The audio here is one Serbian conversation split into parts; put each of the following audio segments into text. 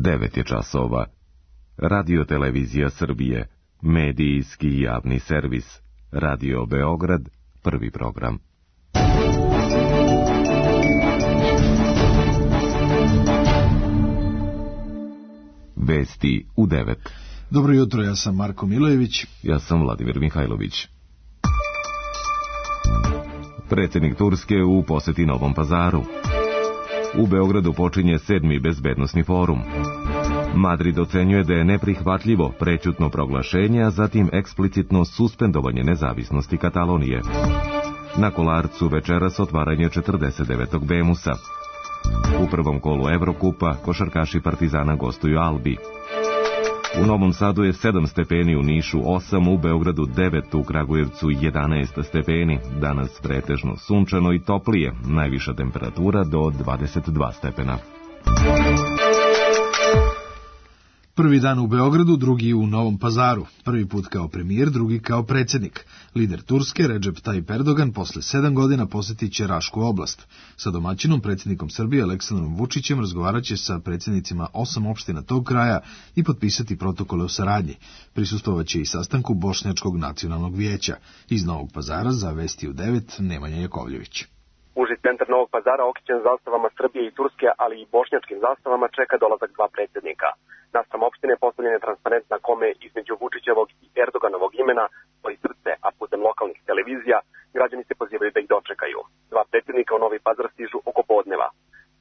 9 je časova. Radio Televizija Srbije, medijski javni servis. Radio Beograd, prvi program. Vesti u 9. Dobro jutro, ja sam Marko Milojević. Ja sam Vladimir Mihajlović. Predsjednik Turske u posjeti Novom Pazaru. U Beogradu počinje 7. bezbednosni forum. Madrid ocenjuje da je neprihvatljivo prećutno proglašenje, a zatim eksplicitno suspendovanje nezavisnosti Katalonije. Na Kolarcu večeras otvaranje 49. Bemusa. U prvom kolu Evrokupa košarkaši Partizana gostuju Albi. U Novom Sadu je 7 stepeni, u Nišu 8, u Beogradu 9, u Kragujevcu 11 stepeni. Danas pretežno sunčano i toplije, najviša temperatura do 22 stepena. Prvi dan u Beogradu, drugi u Novom Pazaru. Prvi put kao premijer, drugi kao predsjednik. Lider Turske, Recep Tayyip Erdogan, posle 7 godina posjetit će Rašku oblast. Sa domaćinom, predsjednikom Srbije Aleksandrom Vučićem, razgovarat će sa predsjednicima 8 opština tog kraja i potpisati protokole o saradnji. Prisustvovat će i sastanku Bošnjačkog nacionalnog vijeća. Iz Novog Pazara za Vesti u 9, Nemanja Jakovljević. Uži centar Novog Pazara, okićen zastavama Srbije i Turske, ali i bošnjačkim zastavama, čeka dolazak 2 predsjednika. Naspram opštine postavljen je transparent na kome između Vučićevog i Erdoganovog imena stoji srce, a putem lokalnih televizija građani se pozivaju da ih dočekaju. 2 predsjednika u Novi Pazar stižu oko podneva.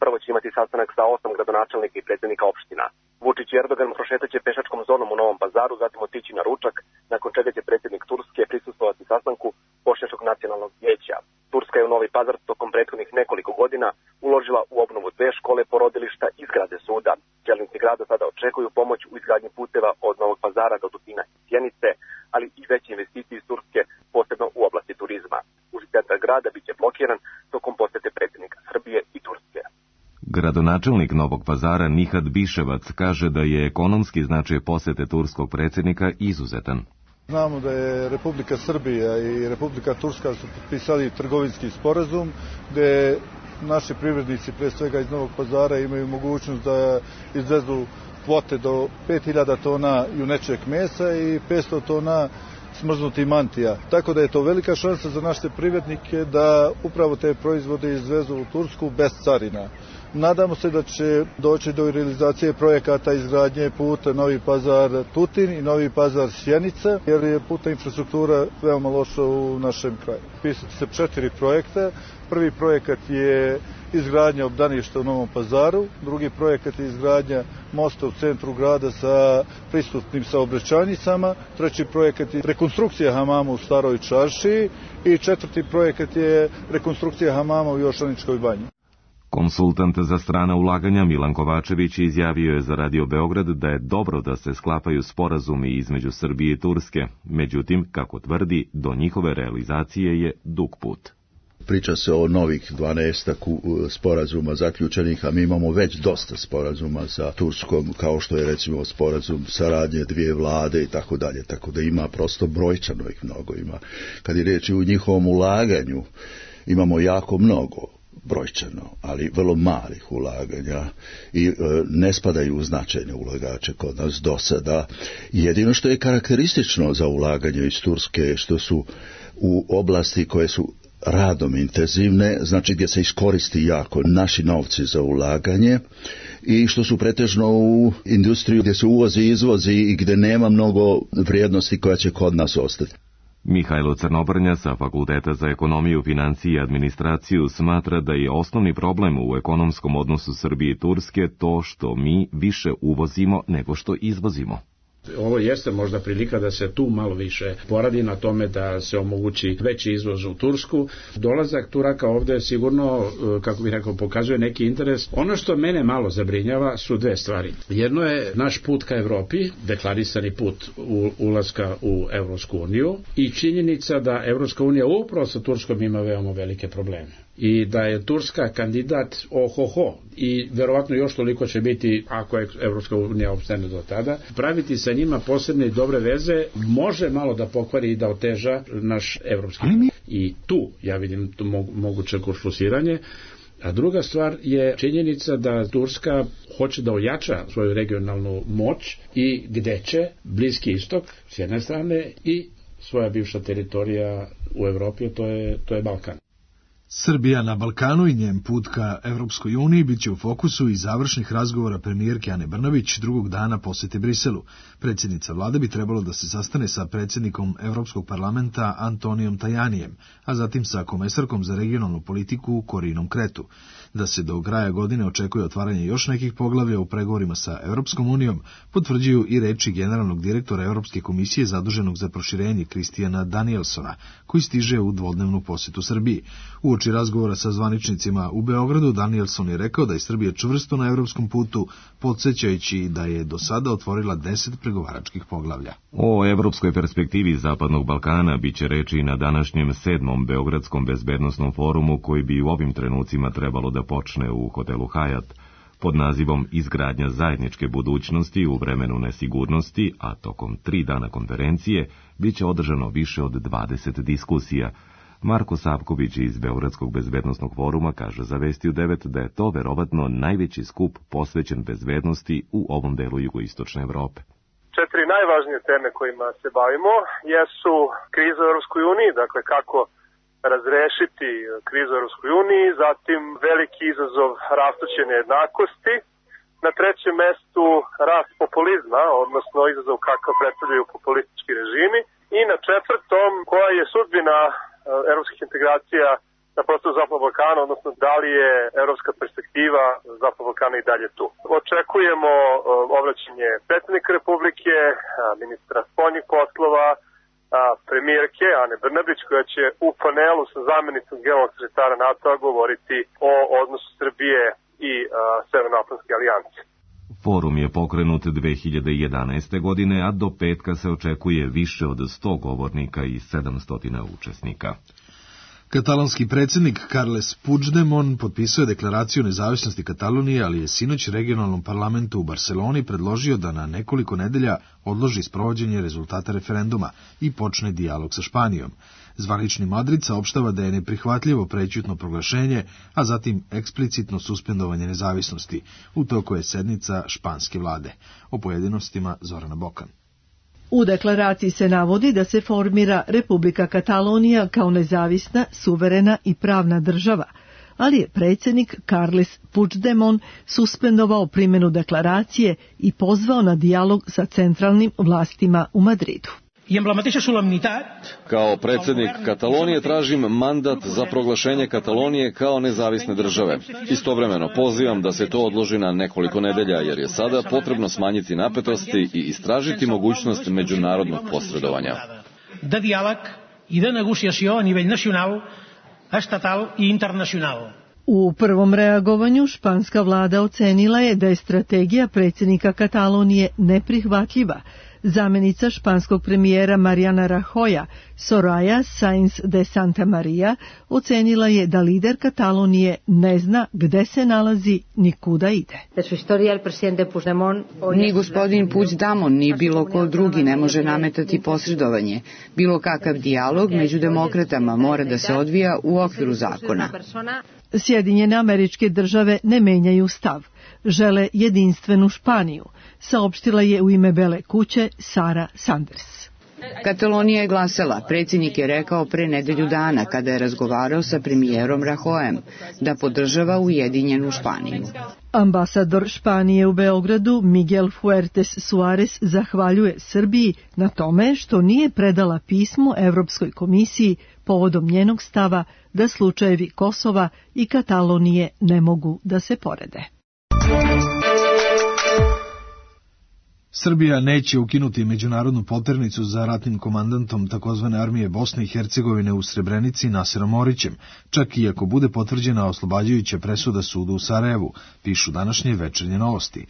Prvo će imati sastanak sa 8 gradonačelnika i predsjednika opština. Vučić i Erdogan prošetaće pešačkom zonom u Novom Pazaru, zatim otići na ručak, nakon čega će predsjednik Turske prisustvovati sastanku Bošnjačkog nacionalnog vijeća. Turska je u Novi Pazar tokom prethodnih nekoliko godina uložila u obnovu 2 škole, porodilišta i zgrade suda. Čelnici grada sada očekuju pomoć u izgradnji puteva od Novog Pazara do Tutina i Sjenice, ali i veće investicije iz Turske, posebno u oblasti turizma. Uži centar grada biće blokiran tokom posete predsjednika Srbije i Turske. Gradonačelnik Novog Pazara Nihad Biševac kaže da je ekonomski značaj posete turskog predsjednika izuzetan. Znamo da je Republika Srbija i Republika Turska su potpisali trgovinski sporazum gde naši privrednici, pre svega iz Novog Pazara, imaju mogućnost da izvezu kvote do 5000 tona junečeg mesa i 500 tona smrznutih mantija. Tako da je to velika šansa za naše privrednike da upravo te proizvode izvezu u Tursku bez carina. Nadamo se da će doći do realizacije projekata izgradnje puta Novi Pazar-Tutin i Novi Pazar-Sjenica, jer je putna infrastruktura veoma loša u našem kraju. Pisati se 4 projekta. Prvi projekat je izgradnja obdaništa u Novom Pazaru, drugi projekat je izgradnja mosta u centru grada sa pristupnim saobraćajnicama, treći projekat je rekonstrukcija hamama u Staroj Čaršiji i četvrti projekat je rekonstrukcija hamama u Jošaničkoj banji. Konsultant za strana ulaganja Milan Kovačević izjavio je za Radio Beograd da je dobro da se sklapaju sporazumi između Srbije i Turske. Međutim, kako tvrdi, do njihove realizacije je dug put. Priča se o novih 12 sporazuma zaključenih, a mi imamo već dosta sporazuma sa Turskom, kao što je recimo sporazum saradnje 2 vlade i tako dalje, tako da ima prosto brojčano ih mnogo ima. Kad je riječ u njihovom ulaganju, imamo jako mnogo brojčano, ali vrlo malih ulaganja i ne spadaju u značajne ulagače kod nas do sada. Jedino što je karakteristično za ulaganje iz Turske, što su u oblasti koje su radom intenzivne, znači gdje se iskoristi jako naši novci za ulaganje i što su pretežno u industriju gdje se uvozi i izvozi i gdje nema mnogo vrijednosti koja će kod nas ostati. Mihajlo Crnobrnja sa Fakulteta za ekonomiju, financije i administraciju smatra da je osnovni problem u ekonomskom odnosu Srbije i Turske to što mi više uvozimo nego što izvozimo. Ovo jeste možda prilika da se tu malo više poradi na tome da se omogući veći izvoz u Tursku. Dolazak Turaka ovde sigurno, kako bih rekao, pokazuje neki interes. Ono što mene malo zabrinjava su 2 stvari. Jedno je naš put ka Evropi, deklarisani put ulaska u Evropsku uniju i činjenica da Evropska unija upravo sa Turskom ima veoma velike probleme. I da je Turska kandidat i verovatno još toliko će biti ako je Evropska unija opstane do tada. Praviti sa njima posebne i dobre veze može malo da pokvari i da oteža naš evropski. I tu ja vidim moguće kuršlusiranje. A druga stvar je činjenica da Turska hoće da ojača svoju regionalnu moć i gde će Bliski istok s jedne strane i svoja bivša teritorija u Evropi, to je Balkan. Srbija na Balkanu i njen put ka Evropskoj uniji biće u fokusu i završnih razgovora premijerke Ane Brnabić drugog dana posete Briselu. Predsjednica vlade bi trebalo da se sastane sa predsjednikom Evropskog parlamenta Antonijom Tajanijem, a zatim sa komesarkom za regionalnu politiku Korinom Kretu. Da se do kraja godine očekuje otvaranje još nekih poglavlja u pregovorima sa Evropskom unijom, potvrđuju i reči generalnog direktora Evropske komisije zaduženog za proširenje Kristijana Danielsona, koji stiže u dvodnevnu posetu Srbiji. Uoči razgovora sa zvaničnicima u Beogradu, Danielson je rekao da je Srbija čvrsto na evropskom putu, podsjećajući da je do sada otvorila 10 pregovaračkih poglavlja. O evropskoj perspektivi Zapadnog Balkana biće reči na današnjem 7. Beogradskom bezbednosnom forumu, koji bi u ovim trenucima trebalo da počne u hotelu Hyatt pod nazivom Izgradnja zajedničke budućnosti u vremenu nesigurnosti, a tokom 3 dana konferencije biće održano više od 20 diskusija. Marko Savković iz Beogradskog bezbednosnog foruma kaže za Vesti u 9 da je to verovatno najveći skup posvećen bezbednosti u ovom delu jugoistočne Evrope. 4 najvažnije teme kojima se bavimo jesu kriza u Europskoj uniji, dakle kako razrešiti krizu u Europskoj uniji, zatim veliki izazov rastuće nejednakosti, na 3. mestu rast populizma, odnosno izazov kakav predstavljaju populistički režimi, i na 4. koja je sudbina evropskih integracija na prostoru Zapadnog Balkana, odnosno da li je evropska perspektiva Zapadnog Balkana i dalje tu. Očekujemo obraćanje predsjednika Republike, ministra spoljnih poslova, premijerke Ane Brnabić, koja će u panelu sa zamjenicom generalnog sekretara NATO-a govoriti o odnosu Srbije i Severnoatlantske alijanse. Forum je pokrenut 2011. godine, a do petka se očekuje više od 100 govornika i 700 učesnika. Katalonski predsjednik Carles Puigdemont potpisuje deklaraciju nezavisnosti Katalonije, ali je sinoć regionalnom parlamentu u Barceloni predložio da na nekoliko nedelja odloži sprovođenje rezultata referenduma i počne dijalog sa Španijom. Zvanični Madrid saopštava da je neprihvatljivo prećutno proglašenje, a zatim eksplicitno suspendovanje nezavisnosti. U toku je sednica španske vlade. O pojedinostima Zorana Bokan. U deklaraciji se navodi da se formira Republika Katalonija kao nezavisna, suverena i pravna država, ali je predsjednik Carles Puigdemont suspendovao primjenu deklaracije i pozvao na dijalog sa centralnim vlastima u Madridu. Kao predsjednik Katalonije tražim mandat za proglašenje Katalonije kao nezavisne države. Istovremeno pozivam da se to odloži na nekoliko nedelja, jer je sada potrebno smanjiti napetosti i istražiti mogućnost međunarodnog posredovanja. De dijalog i de negociació a nivell nacional, estatal i internacional. U prvom reagovanju španska vlada ocenila je da je strategija predsjednika Katalonije neprihvatljiva. Zamjenica španskog premijera Mariana Rajoya, Soraya Sáenz de Santamaría, ocenila je da lider Katalonije ne zna gde se nalazi ni kuda ide. Ni gospodin Puigdemont ni bilo ko drugi ne može nametati posredovanje. Bilo kakav dijalog među demokratama mora da se odvija u okviru zakona. Sjedinjene Američke Države ne menjaju stav. Žele jedinstvenu Španiju, saopštila je u ime Bele kuće Sara Sanders. Katalonija je glasala. Predsjednik je rekao pre nedelju dana, kada je razgovarao sa premijerom Rajoyem, da podržava ujedinjenu Španiju. Ambasador Španije u Beogradu Miguel Fuertes Suarez zahvaljuje Srbiji na tome što nije predala pismo Evropskoj komisiji povodom njenog stava da slučajevi Kosova i Katalonije ne mogu da se porede. Srbija neće ukinuti međunarodnu poternicu za ratnim komandantom takozvane armije Bosne i Hercegovine u Srebrenici Nasirom Orićem, čak i ako bude potvrđena oslobađajuća presuda sudu u Sarajevu, pišu današnje Večernje novosti.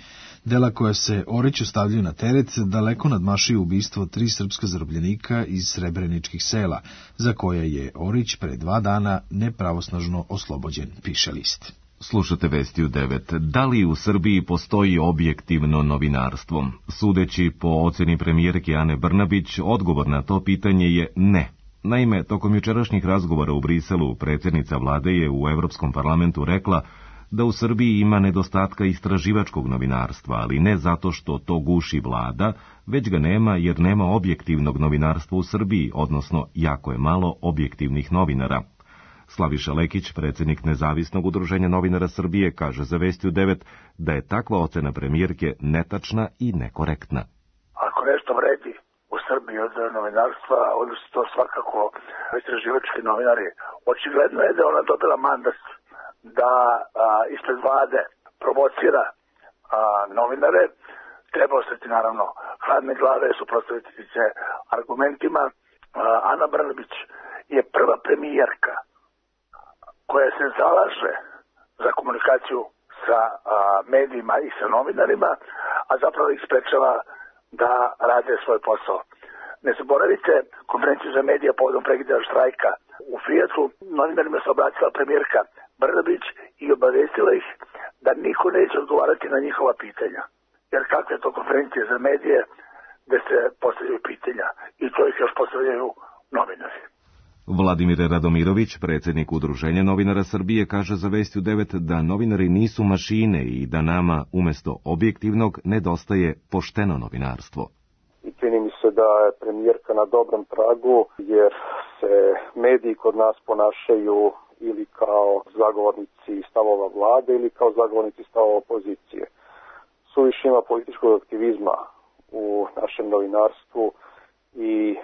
Dela koja se Oriću stavljaju na teret daleko nadmašuju ubistvo 3 srpska zarobljenika iz srebreničkih sela, za koje je Orić pre 2 dana nepravosnažno oslobođen, piše list. Slušate Vesti u 9. Da li u Srbiji postoji objektivno novinarstvo? Sudeći po oceni premijerke Ane Brnabić, odgovor na to pitanje je ne. Naime, tokom jučerašnjih razgovora u Briselu, predsjednica vlade je u Evropskom parlamentu rekla da u Srbiji ima nedostatka istraživačkog novinarstva, ali ne zato što to guši vlada, već ga nema jer nema objektivnog novinarstva u Srbiji, odnosno jako je malo objektivnih novinara. Slaviša Lekić, predsjednik Nezavisnog udruženja novinara Srbije, kaže za Vesti u 9 da je takva ocena premijerke netačna i nekorektna. Ako nešto vredi u Srbiji od novinarstva, onda su to svakako istraživački novinari. Očigledno je da je ona dobila mandat da ispred vlade provocira novinare. Treba ostati naravno hladne glave, suprotstaviti se argumentima. Ana Brnabić je prva premijerka koja se zalaže za komunikaciju sa medijima i sa novinarima, a zapravo ih sprečava da rade svoj posao. Ne zaboravite konferenciju za medije povodom prekida štrajka u Fijatu. Novinarima se obratila premijerka Brnabić i obavestila ih da niko neće odgovarati na njihova pitanja. Jer kakve je to konferencije za medije gde se postavljaju pitanja i to ih još postavljaju novinari. Vladimir Radomirović, predsjednik Udruženja novinara Srbije, kaže za Vesti u 9 da novinari nisu mašine i da nama umjesto objektivnog nedostaje pošteno novinarstvo. I čini mi se da je premijerka na dobrom tragu jer se mediji kod nas ponašaju ili kao zagovornici stavova vlade ili kao zagovornici stavova opozicije. Suviše ima političkog aktivizma u našem novinarstvu i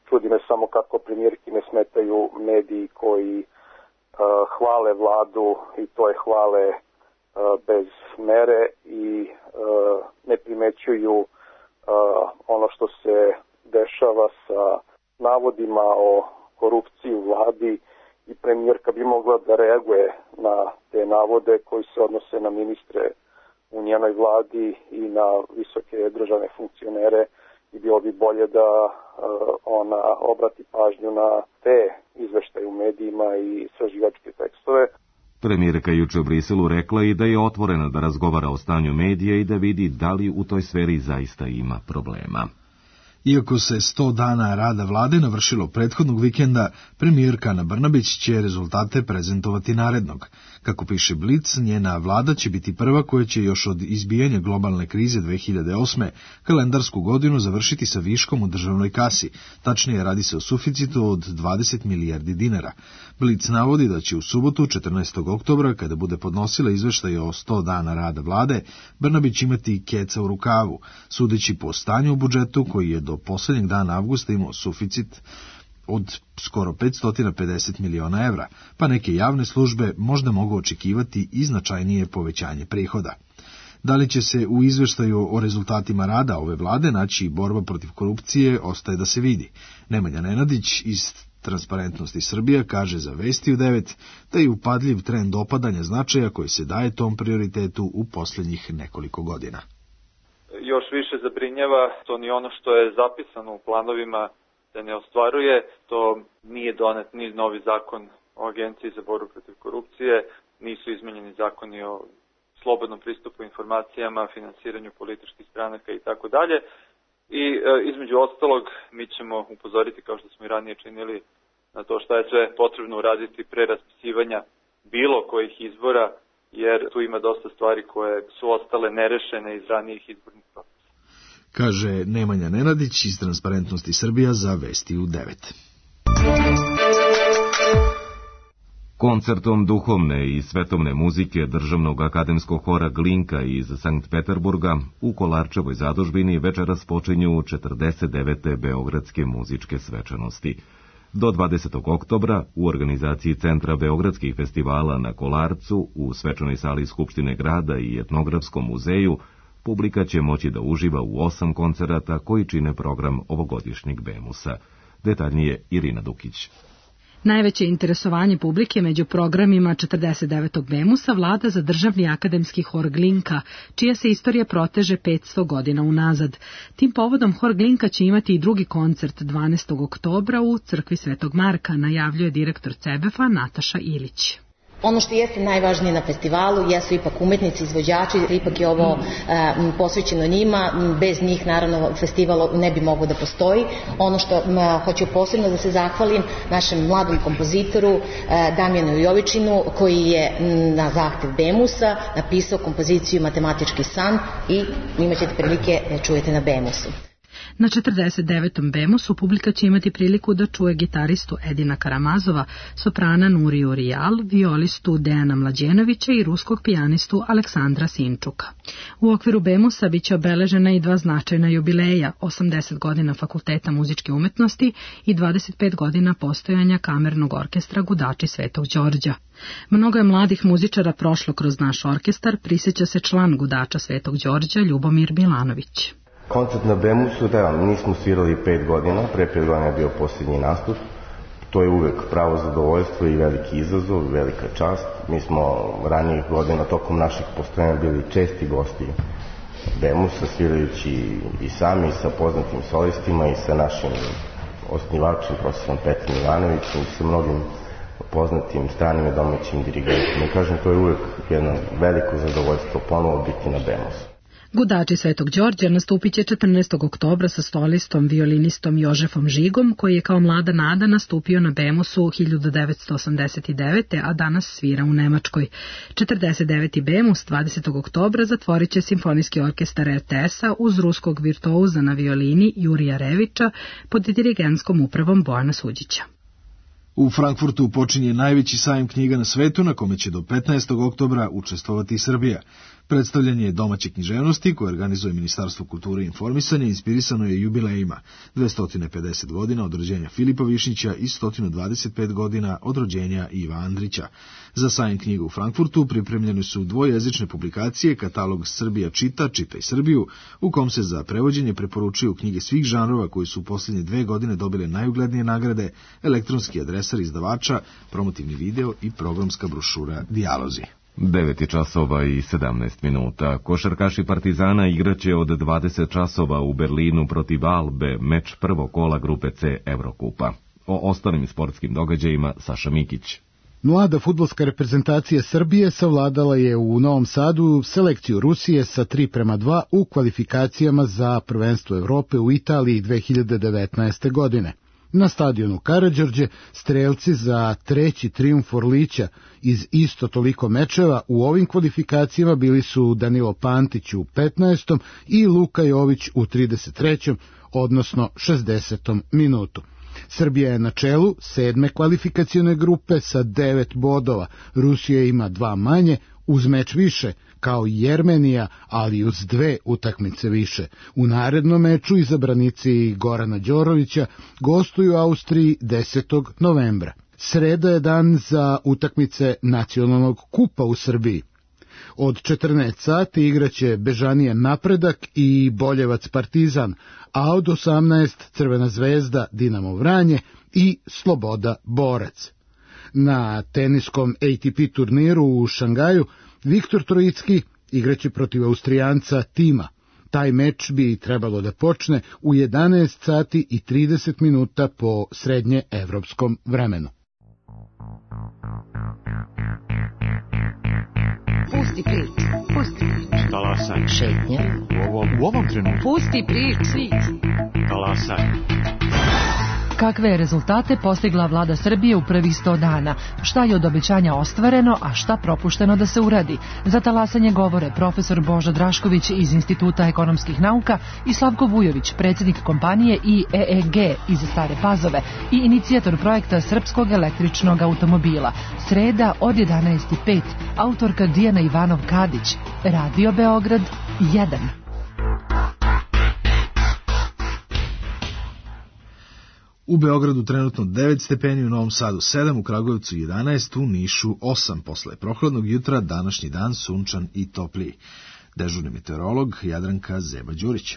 čudi me samo kako premijerki ne smetaju mediji koji hvale vladu i to je hvale bez mere i ne primećuju ono što se dešava sa navodima o korupciji u vladi i premijerka bi mogla da reaguje na te navode koji se odnose na ministre u njenoj vladi i na visoke državne funkcionere i bilo bi bolje da ona obrati pažnju na te izveštaje u medijima i istraživačke tekstove. Premijerka juče u Briselu rekla i da je otvorena da razgovara o stanju medija i da vidi da li u toj sferi zaista ima problema. Iako se 100 dana rada vlade navršilo prethodnog vikenda, premijerka Ana Brnabić će rezultate prezentovati narednog. Kako piše Blic, njena vlada će biti prva koja će još od izbijanja globalne krize 2008. kalendarsku godinu završiti sa viškom u državnoj kasi. Tačnije, radi se o suficitu od 20 milijardi dinara. Blic navodi da će u subotu, 14. oktobra, kada bude podnosila izveštaj o 100 dana rada vlade, Brnabić imati keca u rukavu, sudeći po stanju u budžetu koji je do posljednjeg dana avgusta imao suficit od skoro 550 miliona evra, pa neke javne službe možda mogu očekivati i značajnije povećanje prihoda. Da li će se u izveštaju o rezultatima rada ove vlade naći borba protiv korupcije, ostaje da se vidi. Nemanja Nenadić iz Transparentnosti Srbija kaže za Vesti u 9 da je upadljiv trend opadanja značaja koji se daje tom prioritetu u posljednjih nekoliko godina. Još više zabrinjava to ni ono što je zapisano u planovima se ne ostvaruje, to nije donet ni novi zakon o Agenciji za borbu protiv korupcije, nisu izmenjeni zakoni o slobodnom pristupu informacijama, finansiranju političkih stranaka i tako dalje. I između ostalog mi ćemo upozoriti, kao što smo i ranije činili, na to šta je sve potrebno uraditi pre raspisivanja bilo kojih izbora, jer tu ima dosta stvari koje su ostale nerešene iz ranijih izbornih procesa. Kaže Nemanja Nenadić iz Transparentnosti Srbija za Vesti u 9. Koncertom duhovne i svetovne muzike Državnog akademskog hora Glinka iz Sankt Peterburga u Kolarčevoj zadužbini večeras počinju 49. Beogradske muzičke svečanosti. Do 20. oktobra u organizaciji Centra Beogradskih festivala na Kolarcu u svečanoj sali Skupštine grada i Etnografskom muzeju publika će moći da uživa u 8 koncerata koji čine program ovogodišnjeg Bemusa. Detaljnije Irina Dukić. Najveće interesovanje publike među programima 49. Bemusa vlada za Državni akademski hor Glinka, čija se istorija proteže 500 godina unazad. Tim povodom hor Glinka će imati i drugi koncert 12. oktobra u crkvi Svetog Marka, najavljuje direktor CEBEF-a Nataša Ilić. Ono što jeste najvažnije na festivalu jesu ipak umetnici, izvođači, ipak je ovo posvećeno njima, bez njih naravno festival ne bi mogao da postoji. Ono što hoću posebno da se zahvalim našem mladom kompozitoru Damjanu Jovičinu, koji je na zahtev Bemusa napisao kompoziciju Matematički san i imaćete prilike da čujete na Bemusu. Na 49. Bemusu publika će imati priliku da čuje gitaristu Edina Karamazova, soprana Nuriju Rijal, violistu Dejana Mlađenovića i ruskog pijanistu Aleksandra Sinčuka. U okviru Bemusa biće obeležena i 2 značajna jubileja, 80 godina Fakulteta muzičke umetnosti i 25 godina postojanja kamernog orkestra Gudači Svetog Đorđa. Mnogo je mladih muzičara prošlo kroz naš orkestar, prisjeća se član Gudača Svetog Đorđa Ljubomir Milanović. Koncert na Bemusu, da, nismo svirali 5 godina, pre 5 godina je bio posljednji nastup. To je uvek pravo zadovoljstvo i veliki izazov, velika čast. Mi smo ranijih godina tokom naših postojanja bili česti gosti Bemusa, svirajući i sami sa poznatim solistima i sa našim osnivačem, profesorom Petrom Ivanovićem i sa mnogim poznatim stranim i domaćim dirigentima. I kažem, to je uvek jedno veliko zadovoljstvo ponovo biti na Bemusu. Gudači Svetog Đorđa nastupit će 14. oktobra sa solistom, violinistom Jožefom Žigom, koji je kao mlada nada nastupio na Bemusu 1989. a danas svira u Nemačkoj. 49. Bemus 20. oktobra zatvorit će Simfonijski orkestar RTS-a uz ruskog virtuoza na violini Jurija Revića pod dirigentskom upravom Bojana Suđića. U Frankfurtu počinje najveći sajam knjiga na svetu, na kome će do 15. oktobra učestvovati i Srbija. Predstavljanje domaće književnosti, koje organizuje Ministarstvo kulture i informisanja, inspirisano je jubilejima 250 godina od rođenja Filipa Višnjića i 125 godina od rođenja Iva Andrića. Za sajam knjiga u Frankfurtu pripremljene su dvojezične publikacije, katalog Srbija čita, Čitaj Srbiju, u kom se za prevođenje preporučuju knjige svih žanrova koji su u posljednje 2 godine dobile najuglednije nagrade, elektronski adresar izdavača, promotivni video i programska brošura Dijalozi. 9 časova i 17 minuta. Košarkaši Partizana igraće od 20 časova u Berlinu protiv Albe, meč prvog kola grupe C Evrokupa. O ostalim sportskim događajima Saša Mikić. Mlada fudbalska reprezentacija Srbije savladala je u Novom Sadu selekciju Rusije sa 3:2 u kvalifikacijama za prvenstvo Evrope u Italiji 2019. godine. Na stadionu Karađorđe strelci za 3. trijumf Orlića iz isto toliko mečeva u ovim kvalifikacijama bili su Danilo Pantić u 15. i Luka Jović u 33. odnosno 60. minutu. Srbija je na čelu 7. kvalifikacione grupe sa 9 bodova, Rusija ima 2 manje, uz meč više, kao i Jermenija, ali uz 2 utakmice više. U narednom meču izabranici Gorana Đorovića gostuju Austriji 10. novembra. Sreda je dan za utakmice nacionalnog kupa u Srbiji. Od 14 sati igraće Bežanija Napredak i Boljevac Partizan, a od 18 Crvena zvezda Dinamo Vranje i Sloboda Borac. Na teniskom ATP turniru u Šangaju Viktor Trojicki igraće protiv Austrijanca Tima. Taj meč bi trebalo da počne u 11 sati i 30 minuta po srednje evropskom vremenu. Pusti priču, pusti priču. Talasaj. Šetnja. U ovom trenutku. Pusti priču. Talasaj. Kakve je rezultate postigla vlada Srbije u prvih 100 dana? Šta je od obećanja ostvareno, a šta propušteno da se uradi? Za talasanje govore profesor Božo Drašković iz Instituta ekonomskih nauka i Slavko Vujović, predsjednik kompanije IEEG iz Stare Pazove i inicijator projekta srpskog električnog automobila. Sreda od 11:05, autorka Dijana Ivanov Kadić, Radio Beograd 1. U Beogradu trenutno 9 stepeni, u Novom Sadu 7, u Kragujevcu 11, u Nišu 8. Posle prohladnog jutra današnji dan sunčan i topliji. Dežurni meteorolog Jadranka Zeba-Đurić.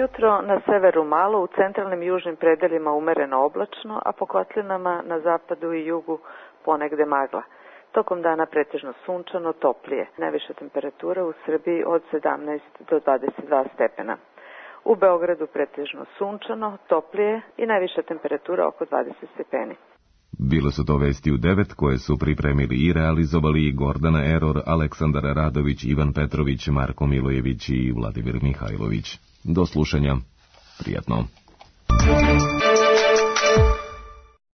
Jutro na severu malo, u centralnim južnim predelima umereno oblačno, a po kotlinama na zapadu i jugu ponegde magla. Tokom dana pretežno sunčano, toplije. Najviša temperatura u Srbiji od 17 do 22 stepena. U Beogradu pretežno sunčano, toplije i najviša temperatura oko 20 stepeni. Bile su to vesti u 9 koje su pripremili i realizovali Gordana Eror, Aleksandar Radović, Ivan Petrović, Marko Milojević i Vladimir Mihajlović. Do slušanja. Prijatno.